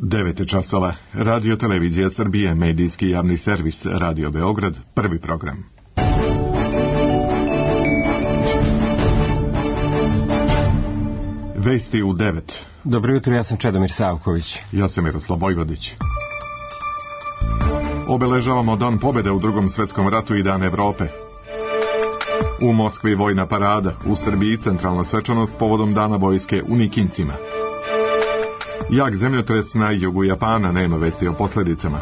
9 časova. Radio Televizija Srbije, medijski javni servis, Radio Beograd, prvi program. Vesti u 9. Dobro jutro, ja sam Čedomir Savković. Ja sam Miroslav Vojvodić. Obeležavamo Dan pobjede u Drugom svjetskom ratu i Dan Evrope. U Moskvi vojna parada, u Srbiji centralna svečanost povodom Dana vojske u Nikincima. Jak zemljotres na jugu Japana, nema vesti o posljedicama.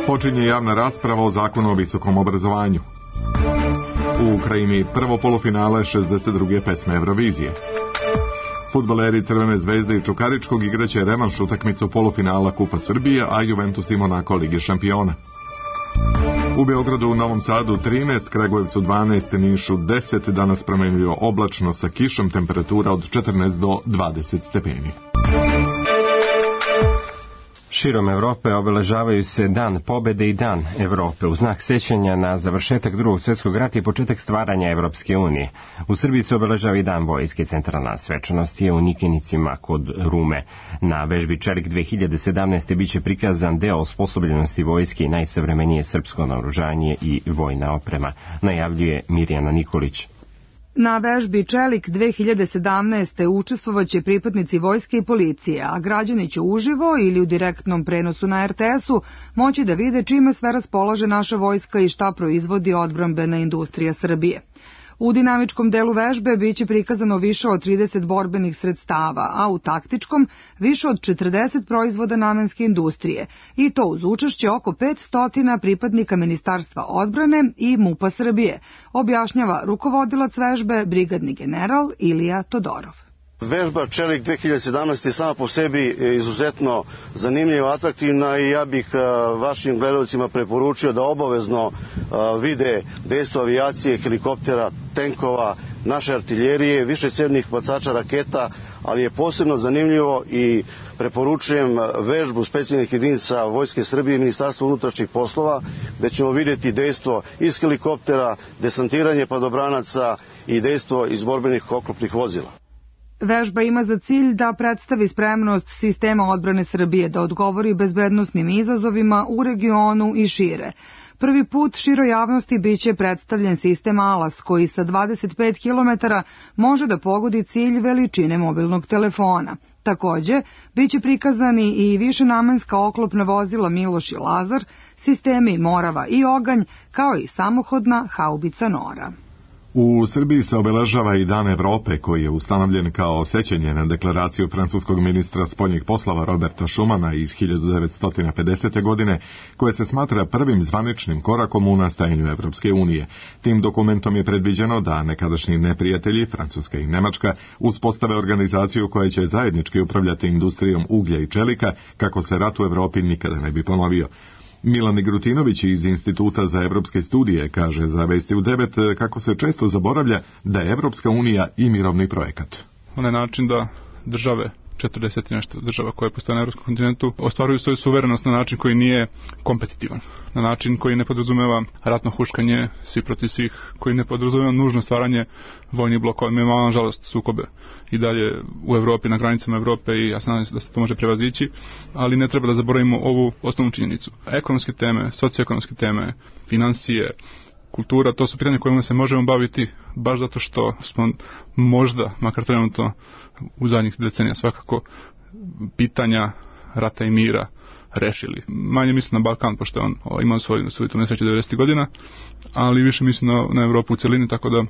Počinje javna rasprava o zakonu o visokom obrazovanju. U Ukrajini prvo polufinale 62. pesme Eurovizije. Fudbaleri Crvene zvezde i Čukaričkog igraće revanš utakmicu polufinala Kupa Srbije, a Juventus i Monako Lige šampiona. U Beogradu, u Novom Sadu 13, Kragujevcu 12, Nišu 10, danas promenljivo oblačno sa kišom, temperatura od 14 do 20 stepeni. Širom Evrope obeležavaju se Dan pobjede i Dan Evrope u znak sećanja na završetak Drugog svjetskog rata i početak stvaranja Evropske unije. U Srbiji se obeležava i Dan vojske. Centralna svečanost je u Nikinicima kod Rume. Na vežbi Čelik 2017. biće prikazan deo osposobljenosti vojske i najsavremenije srpsko naoružanje i vojna oprema, najavljuje Mirjana Nikolić. Na vežbi Čelik 2017. učestvovaće pripadnici vojske i policije, a građani će uživo ili u direktnom prenosu na RTS-u moći da vide čime sve raspolaže naša vojska i šta proizvodi odbrambena industrija Srbije. U dinamičkom delu vežbe biće prikazano više od 30 borbenih sredstava, a u taktičkom više od 40 proizvoda namenske industrije, i to uz učešće oko 500 pripadnika Ministarstva odbrane i MUP-a Srbije, objašnjava rukovodilac vežbe, brigadni general Ilija Todorov. Vežba Čelik 2017 je sama po sebi izuzetno zanimljiva, atraktivna i ja bih vašim gledalcima preporučio da obavezno vide dejstvo avijacije, helikoptera, tenkova, naše artiljerije, višecevnih bacača raketa, ali je posebno zanimljivo i preporučujem vežbu specijalnih jedinica Vojske Srbije i Ministarstva unutrašnjih poslova, gde ćemo vidjeti dejstvo iz helikoptera, desantiranje padobranaca i dejstvo iz borbenih oklopnih vozila. Vežba ima za cilj da predstavi spremnost sistema odbrane Srbije da odgovori bezbednosnim izazovima u regionu i šire. Prvi put široj javnosti biće predstavljen sistem ALAS koji sa 25 km može da pogodi cilj veličine mobilnog telefona. Takođe, biće prikazani i višenamenska oklopna vozila Miloš i Lazar, sistemi Morava i Oganj, kao i samohodna haubica Nora. U Srbiji se obeležava i Dan Evrope, koji je ustanovljen kao sećanje na deklaraciju francuskog ministra spoljnih poslova Roberta Schumana iz 1950. godine, koje se smatra prvim zvaničnim korakom u nastajanju Evropske unije. Tim dokumentom je predviđeno da nekadašnji neprijatelji, Francuska i Nemačka, uspostave organizaciju koja će zajednički upravljati industrijom uglja i čelika, kako se rat u Evropi nikada ne bi ponovio. Milan Grutinović iz Instituta za evropske studije kaže za Vesti u 9 kako se često zaboravlja da je Evropska unija i mirovni projekat. Onaj način da države, 40 nešto država koje postoje na evropskom kontinentu, ostvaruju svoju suverenost na način koji nije kompetitivan, na način koji ne podrazumeva ratno huškanje svi protiv svih, koji ne podrazumeva nužno stvaranje vojnih blokova. Mi imamo, nažalost, sukobe i dalje u Evropi, na granicama Evrope, i ja znam da se to može prevazići, ali ne treba da zaboravimo ovu osnovnu činjenicu. Ekonomske teme, socioekonomske teme, financije, kultura, to su pitanja kojima se možemo baviti baš zato što smo možda, makar trenutno u zadnjih decenija svakako, pitanja rata i mira rešili. Manje mislim na Balkan, pošto on imao svoju tu nesreću 90. godina, ali više mislim na Evropu u celini, tako da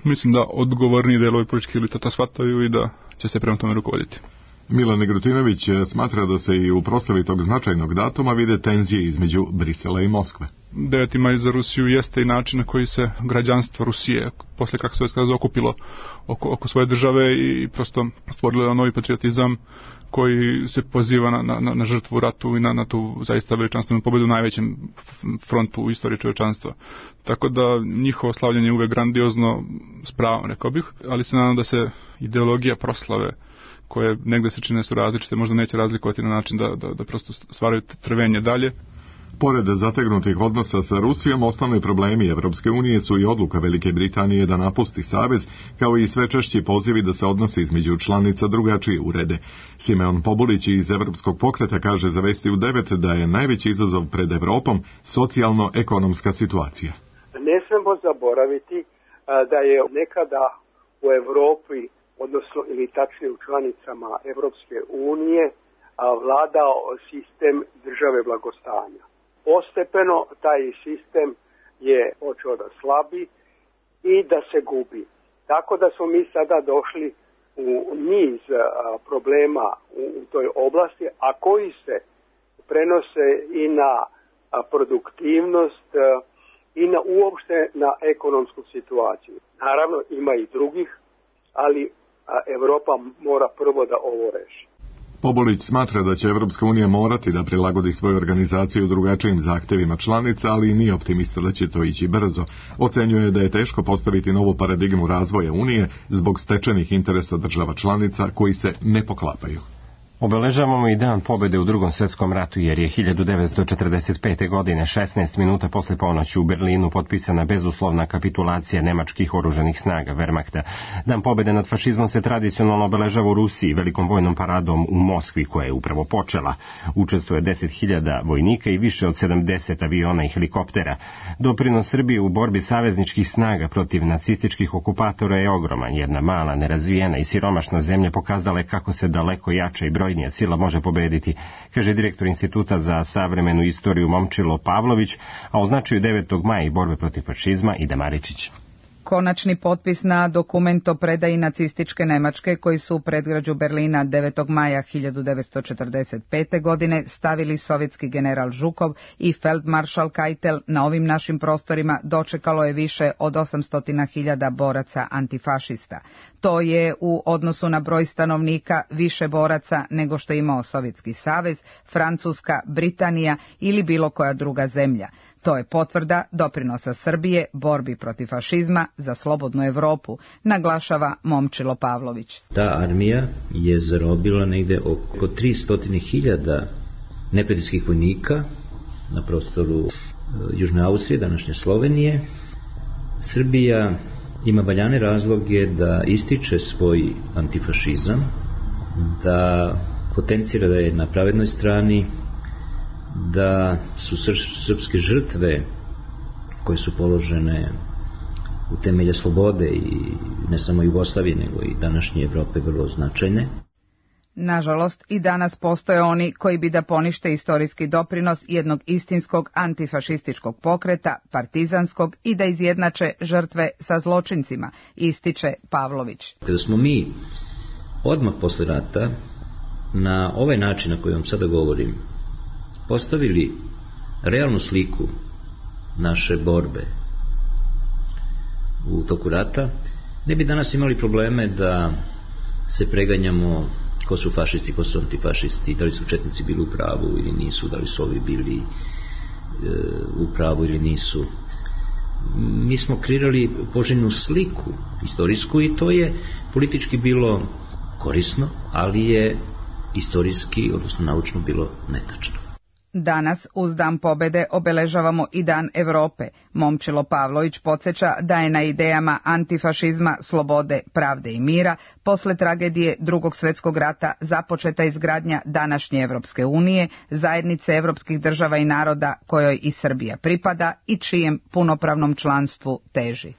mislim da odgovorniji delovi političke elite to shvataju i da će se prema tome rukovoditi. Milan Grutinović smatra da se i u proslavi tog značajnog datuma vide tenzije između Brisela i Moskve. 9. maj za Rusiju jeste i način na koji se građanstvo Rusije, posle kako se okupilo oko svoje države i prosto stvorilo novi patriotizam koji se poziva na žrtvu u ratu i na tu zaista veličanstvenu pobedu u najvećem frontu u istoriji čovečanstva. Tako da njihovo slavljanje je uvek grandiozno, s pravom, rekao bih, ali se nadam da se ideologija proslave, koje negde se čine su različite, možda neće razlikovati na način da prosto stvaraju trvenje dalje. Pored zategnutih odnosa sa Rusijom, osnovni problemi Evropske unije su i odluka Velike Britanije da napusti savez, kao i sve češći pozivi da se odnose između članica drugačije urede. Simeon Pobulić iz Evropskog pokreta kaže za Vesti u 9 da je najveći izazov pred Evropom socijalno-ekonomska situacija. Ne smemo zaboraviti da je nekada u Evropi, odnosno ili tačnije u članicama Evropske unije, vladao sistem države blagostanja. Postepeno taj sistem je počeo da slabi i da se gubi. Tako da smo mi sada došli u niz problema u toj oblasti, a koji se prenose i na produktivnost i na uopšte na ekonomsku situaciju. Naravno ima i drugih, ali Evropa mora prvo da ovo reši. Pobulić smatra da će Evropska unija morati da prilagodi svoju organizaciju drugačijim zahtevima članica, ali nije optimista da će to ići brzo. Ocenjuje da je teško postaviti novu paradigmu razvoja Unije zbog stečenih interesa država članica koji se ne poklapaju. Obeležavamo i dan pobjede u Drugom svjetskom ratu jer je 1945. godine 16 minuta posle ponoći u Berlinu potpisana bezuslovna kapitulacija nemačkih oružanih snaga Wehrmachta. Dan pobjede nad fašizmom se tradicionalno obeležava u Rusiji velikom vojnom paradom u Moskvi koja je upravo počela. Učestvuje 10.000 vojnika i više od 70 aviona i helikoptera. Doprinos Srbije u borbi savezničkih snaga protiv nacističkih okupatora je ogroman. Jedna mala, nerazvijena i siromašna zemlja pokazala je kako se daleko jača i brojnija sila može pobediti, kaže direktor Instituta za savremenu istoriju Momčilo Pavlović, a o značaju 9. maja i borbe protiv fašizma Ida Maričić. Konačni potpis na dokument o predaji nacističke Nemačke koji su u predgrađu Berlina 9. maja 1945. godine stavili sovjetski general Žukov i feldmaršal Keitel na ovim našim prostorima dočekalo je više od 800.000 boraca antifašista. To je u odnosu na broj stanovnika više boraca nego što je imao Sovjetski savez, Francuska, Britanija ili bilo koja druga zemlja. To je potvrda doprinosa Srbije borbi protiv fašizma za slobodnu Evropu, naglašava Momčilo Pavlović. Ta armija je zarobila negde oko 300.000 neprijateljskih vojnika na prostoru Južne Austrije, današnje Slovenije. Srbija ima valjane razloge da ističe svoj antifašizam, da potencira da je na pravednoj strani, da su srpske žrtve koje su položene u temelje slobode i ne samo Jugoslavije nego i današnje Evrope vrlo značajne. Nažalost, i danas postoje oni koji bi da ponište istorijski doprinos jednog istinskog antifašističkog pokreta, partizanskog, i da izjednače žrtve sa zločincima, ističe Pavlović. Kada smo mi odmah posle rata na ovaj način na koji vam sada govorim postavili realnu sliku naše borbe u toku rata, ne bi danas imali probleme da se preganjamo ko su fašisti, ko su antifašisti, da li su četnici bili u pravu ili nisu, da li su ovi bili u pravu ili nisu. Mi smo kreirali poželjnu sliku istorijsku i to je politički bilo korisno, ali je istorijski, odnosno naučno, bilo netačno. Danas, uz Dan pobede, obeležavamo i Dan Evrope. Momčilo Pavlović podsjeća da je na idejama antifašizma, slobode, pravde i mira posle tragedije Drugog svjetskog rata započeta izgradnja današnje Evropske unije, zajednice evropskih država i naroda kojoj i Srbija pripada i čijem punopravnom članstvu teži.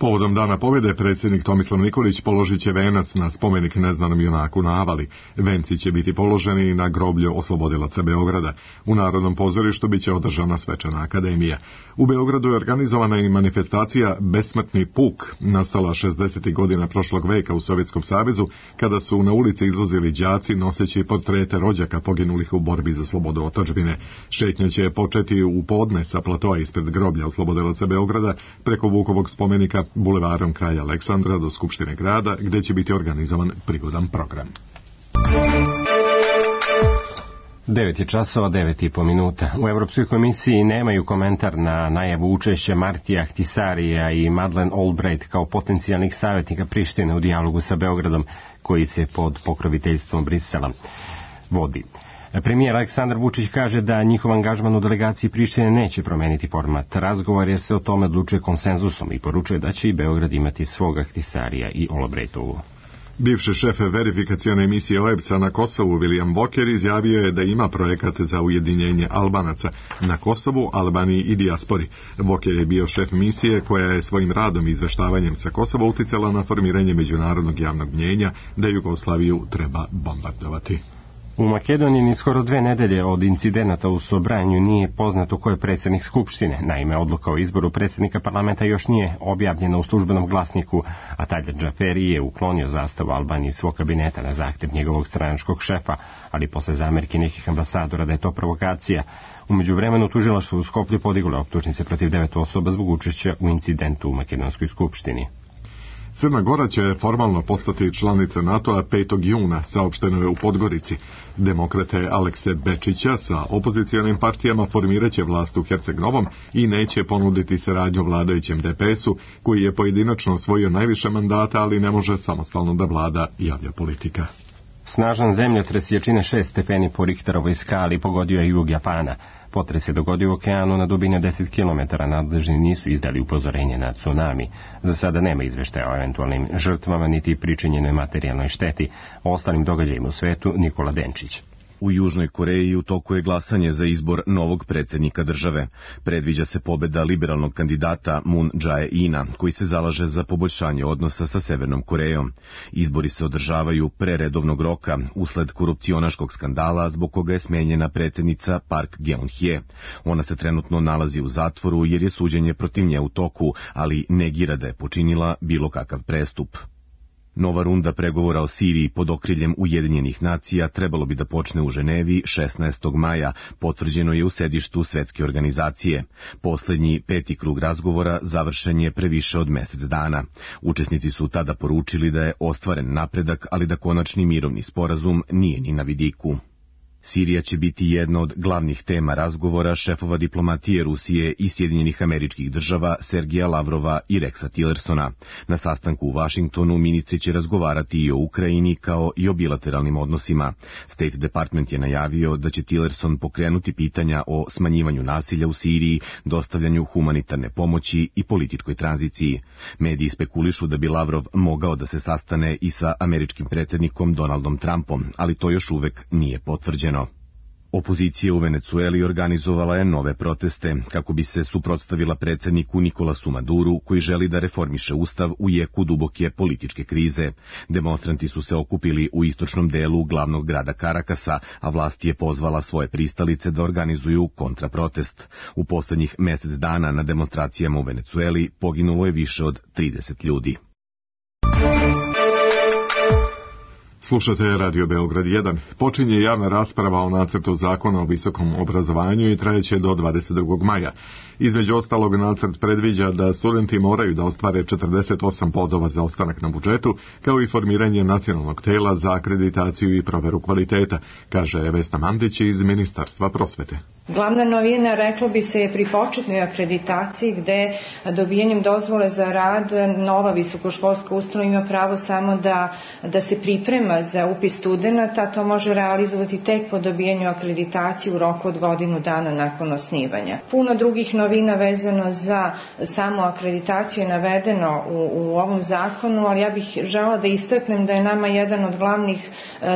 Povodom Dana pobjede predsjednik Tomislav Nikolić položit će venac na spomenik neznanom junaku na Avali. Venci će biti položeni na groblju oslobodilaca Beograda. U Narodnom pozorištu biće održana svečana akademija. U Beogradu je organizovana i manifestacija Besmrtni puk, nastala 60. godina prošlog veka u Sovjetskom savezu, kada su na ulici izlazili đaci noseći portrete rođaka poginulih u borbi za slobodu otadžbine. Šetnja će početi u podne sa platoa ispred groblja oslobodilaca Beograda preko Vukovog spomenika bulevarom Kralja Aleksandra do Skupštine grada, gdje će biti organizovan prigodan program. 9 je časova, 9,5 minuta. U Europskoj komisiji nemaju komentar na najavu učešća Martija Ahtisarija i Madeleine Albright kao potencijalnih savjetnika Prištine u dijalogu sa Beogradom, koji se pod pokroviteljstvom Brisela vodi. Premijer Aleksandar Vučić kaže da njihov angažman u delegaciji Prištine neće promeniti format razgovora jer se o tome odlučuje konsenzusom i poručuje da će i Beograd imati svog Ahtisarija i Olobrejtovu. Bivši šef verifikacione emisije OEBS-a na Kosovu, William Walker, izjavio je da ima projekat za ujedinjenje Albanaca na Kosovu, Albaniji i dijaspori. Walker je bio šef misije koja je svojim radom i izveštavanjem sa Kosova uticala na formiranje međunarodnog javnog mnjenja da Jugoslaviju treba bombardovati. U Makedoniji ni skoro 2 nedelje od incidenata u Sobranju nije poznato ko je predsjednik Skupštine. Naime, odluka o izboru predsjednika parlamenta još nije objavljena u službenom glasniku, a Taljat Džaferi je uklonio zastavu Albanije iz svog kabineta na zahtjev njegovog stranačkog šefa, ali posle zamerki nekih ambasadora da je to provokacija. U međuvremenu tužilaštvo u Skoplju podiglo optužnice protiv 9 osoba zbog učešća u incidentu u Makedonskoj skupštini. Crna Gora će formalno postati članica NATO-a 5. juna, saopšteno je u Podgorici. Demokrate Alekse Bečića sa opozicionim partijama formirat će vlast u Herceg-Novom i neće ponuditi saradnju vladajućem DPS-u, koji je pojedinačno osvojio najviše mandata, ali ne može samostalno da vlada, javlja Politika. Snažan zemljotres jačine 6 stepeni po Richterovoj skali pogodio je jug Japana. Potres se dogodio u okeanu na dubini od 10 km, nadležni nisu izdali upozorenje na tsunami. Za sada nema izveštaja o eventualnim žrtvama niti pričinjenoj materijalnoj šteti. O ostalim događajima u svetu Nikola Denčić. U Južnoj Koreji u toku je glasanje za izbor novog predsjednika države. Predviđa se pobeda liberalnog kandidata Moon Jae-ina, koji se zalaže za poboljšanje odnosa sa Severnom Korejom. Izbori se održavaju pre redovnog roka, usled korupcionaškog skandala zbog koga je smenjena predsjednica Park Geun-hye. Ona se trenutno nalazi u zatvoru jer je suđenje protiv nje u toku, ali negira da je počinila bilo kakav prestup. Nova runda pregovora o Siriji pod okriljem Ujedinjenih nacija trebalo bi da počne u Ženevi 16. maja, potvrđeno je u sedištu Svetske organizacije. Poslednji 5. krug razgovora završen je pre više od mesec dana. Učesnici su tada poručili da je ostvaren napredak, ali da konačni mirovni sporazum nije ni na vidiku. Sirija će biti jedna od glavnih tema razgovora šefova diplomatije Rusije i Sjedinjenih Američkih Država Sergeja Lavrova i Rexa Tillersona. Na sastanku u Vašingtonu ministri će razgovarati i o Ukrajini kao i o bilateralnim odnosima. State Department je najavio da će Tillerson pokrenuti pitanja o smanjivanju nasilja u Siriji, dostavljanju humanitarne pomoći i političkoj tranziciji. Mediji spekulišu da bi Lavrov mogao da se sastane i sa američkim predsjednikom Donaldom Trumpom, ali to još uvek nije potvrđeno. Opozicija u Venecueli organizovala je nove proteste kako bi se suprotstavila predsjedniku Nikolasu Maduru, koji želi da reformiše ustav u jeku duboke političke krize. Demonstranti su se okupili u istočnom delu glavnog grada Karakasa, a vlast je pozvala svoje pristalice da organizuju kontraprotest. U poslednjih mesec dana na demonstracijama u Venecueli poginulo je više od 30 ljudi. Slušate Radio Beograd 1. Počinje javna rasprava o nacrtu zakona o visokom obrazovanju i trajeće do 22. maja. Između ostalog, nacrt predviđa da studenti moraju da ostvare 48 bodova za ostanak na budžetu, kao i formiranje nacionalnog tela za akreditaciju i proveru kvaliteta, kaže Vesna Mandić iz Ministarstva prosvete. Glavna novina, reklo bi se, je pri početnoj akreditaciji, gde dobijanjem dozvole za rad nova visokoškolska ustanova ima pravo samo da se priprema za upis studenata. To može realizovati tek po dobijanju akreditacije u roku od godinu dana nakon osnivanja. Puno drugih novina vezano za samu akreditaciju je navedeno u ovom zakonu, ali ja bih želela da istaknem da je nama jedan od glavnih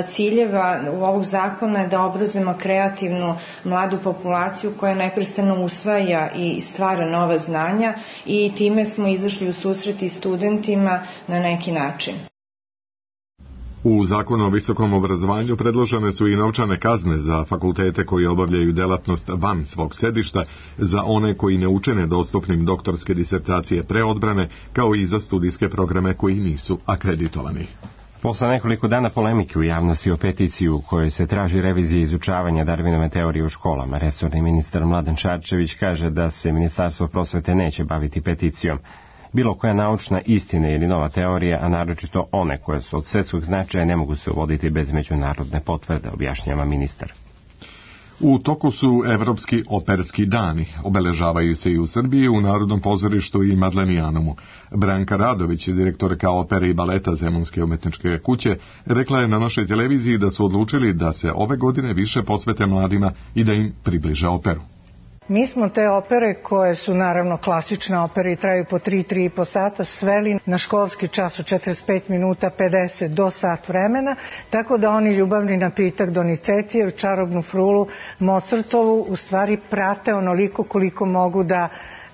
ciljeva u ovog zakona da obrazujemo kreativnu mladu populaciju koja neprestano usvaja i stvara nova znanja i time smo izašli u susret i studentima na neki način. U zakonu o visokom obrazovanju predložene su i novčane kazne za fakultete koji obavljaju delatnost van svog sedišta, za one koji ne učine dostupnim doktorske disertacije pre odbrane, kao i za studijske programe koji nisu akreditovani. Posle nekoliko dana polemike u javnosti o peticiji u kojoj se traži revizija izučavanja Darwinove teorije u školama, resorni ministar Mladen Šarčević kaže da se Ministarstvo prosvete neće baviti peticijom. Bilo koja naučna istina ili nova teorija, a naročito one koje su od svetskog značaja, ne mogu se uvoditi bez međunarodne potvrde, objašnjava ministar. U toku su Evropski operski dani. Obeležavaju se i u Srbiji, u Narodnom pozorištu i Madlenijanumu. Branka Radović, direktorka opere i baleta Zemunske umetničke kuće, rekla je na našoj televiziji da su odlučili da se ove godine više posvete mladima i da im približe operu. Mi smo te opere, koje su naravno klasične opere i traju po 3,5 sata, sveli na školski čas od 45 minuta, 50 do sat vremena, tako da oni ljubavni napitak Donizettijev, Čarobnu frulu, Mozartovu u stvari prate onoliko koliko mogu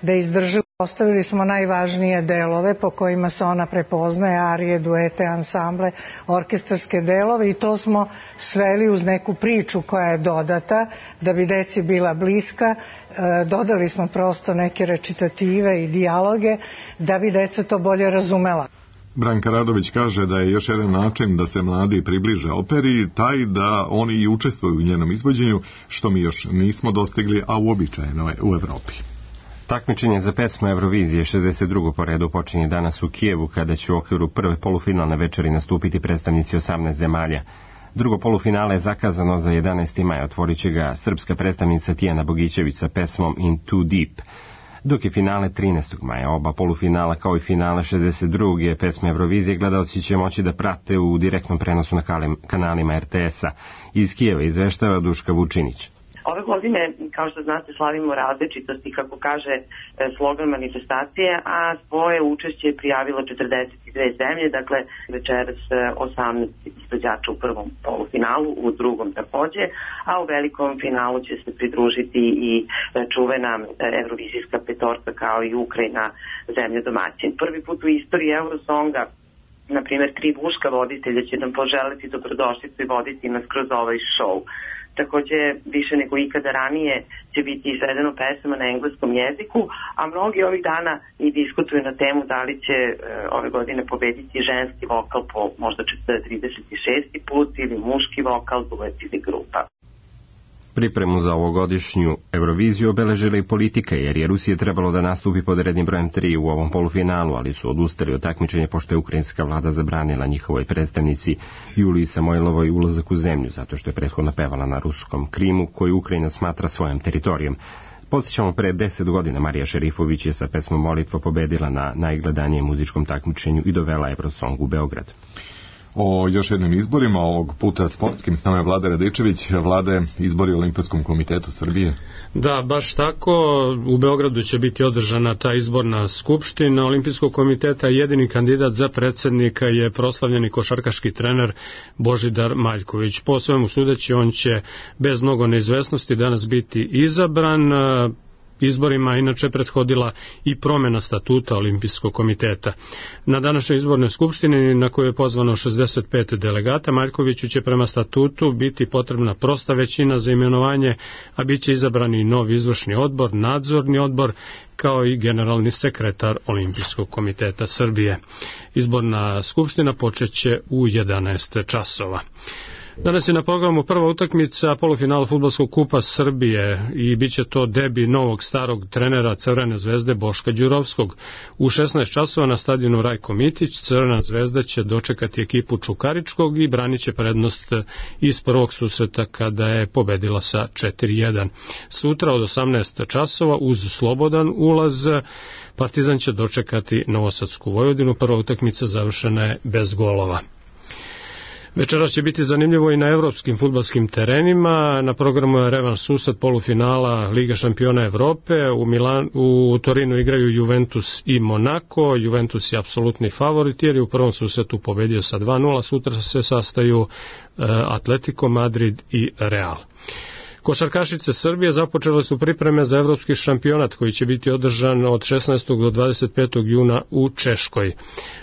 da izdrže. Ostavili smo najvažnije delove po kojima se ona prepoznaje, arije, duete, ansamble, orkestarske delove, i to smo sveli uz neku priču koja je dodata da bi deci bila bliska. Dodali smo prosto neke recitative i dijaloge da bi deca to bolje razumela. Branka Radović kaže da je još jedan način da se mladi približe operi taj da oni i učestvuju u njenom izvođenju, što mi još nismo dostigli, a uobičajeno je u Evropi. Takmičenje za pesmu Eurovizije 62. po redu počinje danas u Kijevu, kada će u okviru prve polufinalne večeri nastupiti predstavnici 18 zemalja. Drugo polufinale je zakazano za 11. maj, otvorit će ga srpska predstavnica Tijana Bogićević sa pesmom In Too Deep, dok je finale 13. maja. Oba polufinala kao i finale 62. pesme Eurovizije gledaoci će moći da prate u direktnom prenosu na kanalima RTS-a. Iz Kijeva izveštava Duška Vučinić. Ove godine, kao što znate, slavimo različitosti, kako kaže slogan manifestacije, a svoje učešće je prijavilo 42 zemlje, dakle večeras 18 izvođača u prvom polufinalu, u drugom takođe, a u velikom finalu će se pridružiti i čuvena evrovizijska petorka kao i Ukrajina, zemlja domaćin. Prvi put u istoriji Eurosonga, na primjer, 3 muška voditelja će nam poželiti dobrodošlicu i voditi nas kroz ovaj šou. Takođe, više nego ikada ranije će biti izvedeno pesama na engleskom jeziku, a mnogi ovih dana i diskutuju na temu da li će ove godine pobediti ženski vokal po možda 36. put ili muški vokal, duet ili grupa. Pripremu za ovogodišnju Euroviziju obeležila i politika, jer je Rusija trebalo da nastupi pod rednim brojem 3 u ovom polufinalu, ali su odustali od takmičenja pošto je ukrajinska vlada zabranila njihovoj predstavnici Juliji Samojlovoj ulazak u zemlju, zato što je prethodno pevala na ruskom Krimu, koju Ukrajina smatra svojom teritorijom. Podsjećamo, pre 10 godina Marija Šerifović je sa pesmom Molitva pobedila na najgledanijem muzičkom takmičenju i dovela Eurosong u Beograd. O još jednim izborima, ovog puta sportskim, s nama je Vlada Radičević. Vlade, izbori u Olimpijskom komitetu Srbije. Da, baš tako. U Beogradu će biti održana ta izborna skupština Olimpijskog komiteta. Jedini kandidat za predsjednika je proslavljeni košarkaški trener Božidar Maljković. Po svemu sudeći, on će bez mnogo neizvesnosti danas biti izabran. Izborima inače prethodila i promjena statuta Olimpijskog komiteta. Na današnjoj izbornoj skupštini, na kojoj je pozvano 65 delegata, Maljkoviću će prema statutu biti potrebna prosta većina za imenovanje, a bit će izabrani i novi izvršni odbor, nadzorni odbor, kao i generalni sekretar Olimpijskog komiteta Srbije. Izborna skupština počeće u 11 časova. Danas je na programu prva utakmica polufinala fudbalskog kupa Srbije i bit će to debi novog starog trenera Crvene zvezde Boška Đurovskog. U 16 časova na stadionu Rajko Mitić Crvena zvezda će dočekati ekipu Čukaričkog i branit će prednost iz prvog susreta kada je pobedila sa 4-1. Sutra od 18 časova uz slobodan ulaz Partizan će dočekati Novosadsku Vojvodinu. Prva utakmica završena je bez golova. Večeras će biti zanimljivo i na evropskim fudbalskim terenima. Na programu je revanš susret polufinala Liga šampiona Evrope. U Torinu igraju Juventus i Monako. Juventus je apsolutni favorit jer je u prvom susretu pobedio sa 2-0. Sutra se sastaju Atletico Madrid i Real. Košarkašice Srbije započele su pripreme za evropski šampionat koji će biti održan od 16. do 25. juna u Češkoj.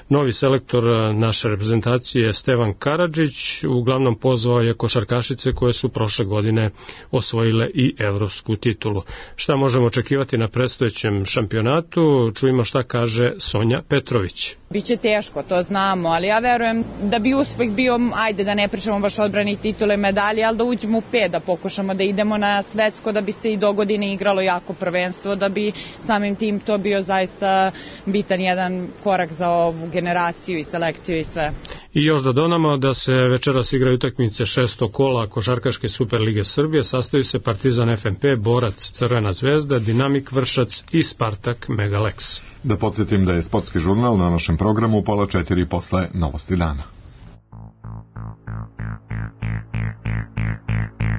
Novi selektor naše reprezentacije je Stevan Karadžić, uglavnom pozvao je košarkašice koje su prošle godine osvojile i evropsku titulu. Šta možemo očekivati na predstojećem šampionatu? Čujemo šta kaže Sonja Petrović. Biće teško, to znamo, ali ja verujem da bi uspeh bio, ajde da ne pričamo baš odbrani titule medalje, ali da uđemo u 5, da pokušamo da idemo na svetsko, da bi se i do godine igralo jako prvenstvo, da bi samim tim to bio zaista bitan jedan korak za ovu generaciju i selekciju i sve. I još da dodamo da se večeras igraju utakmice 6. kola Košarkaške Superlige Srbije, sastaju se Partizan FNP, Borac Crvena zvezda, Dinamik Vršac i Spartak Megalex. Da podsjetim da je sportski žurnal na našem programu u 3:30 posle Novosti dana.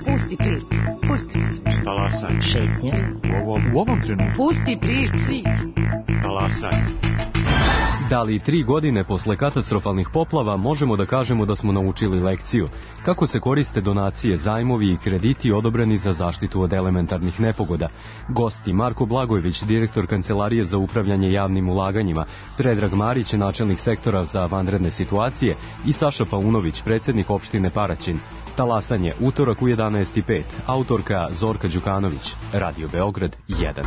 Pusti priču, pusti priču. Talasaj. Šetnje. U ovom trenutku. Pusti priču. Talasaj. Da li 3 godine posle katastrofalnih poplava možemo da kažemo da smo naučili lekciju? Kako se koriste donacije, zajmovi i krediti odobreni za zaštitu od elementarnih nepogoda? Gosti Marko Blagojević, direktor Kancelarije za upravljanje javnim ulaganjima, Predrag Marić, načelnik sektora za vanredne situacije i Saša Paunović, predsjednik opštine Paraćin. Talasanje, utorak u 11:05. Autorka Zorka Đukanović. Radio Beograd 1.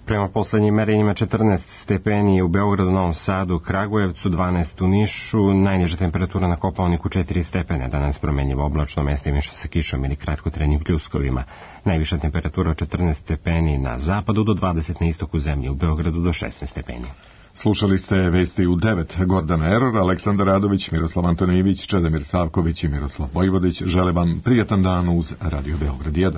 Prema poslednjim merenjima 14 stepeni u Beogradu, Novom Sadu, Kragujevcu, 12 u Nišu, najniža temperatura na Kopaoniku 4 stepene, danas promenljivo oblačno, mestimično sa kišom ili kratkotrenim pljuskovima. Najviša temperatura 14 stepeni na zapadu do 20 na istoku zemlje, u Beogradu do 16 stepeni. Slušali ste vesti u 9. Gordana Eror, Aleksandar Radović, Miroslav Antonijević, Čedomir Savković i Miroslav Vojvodić žele vam prijatan dan uz Radio Beograd 1.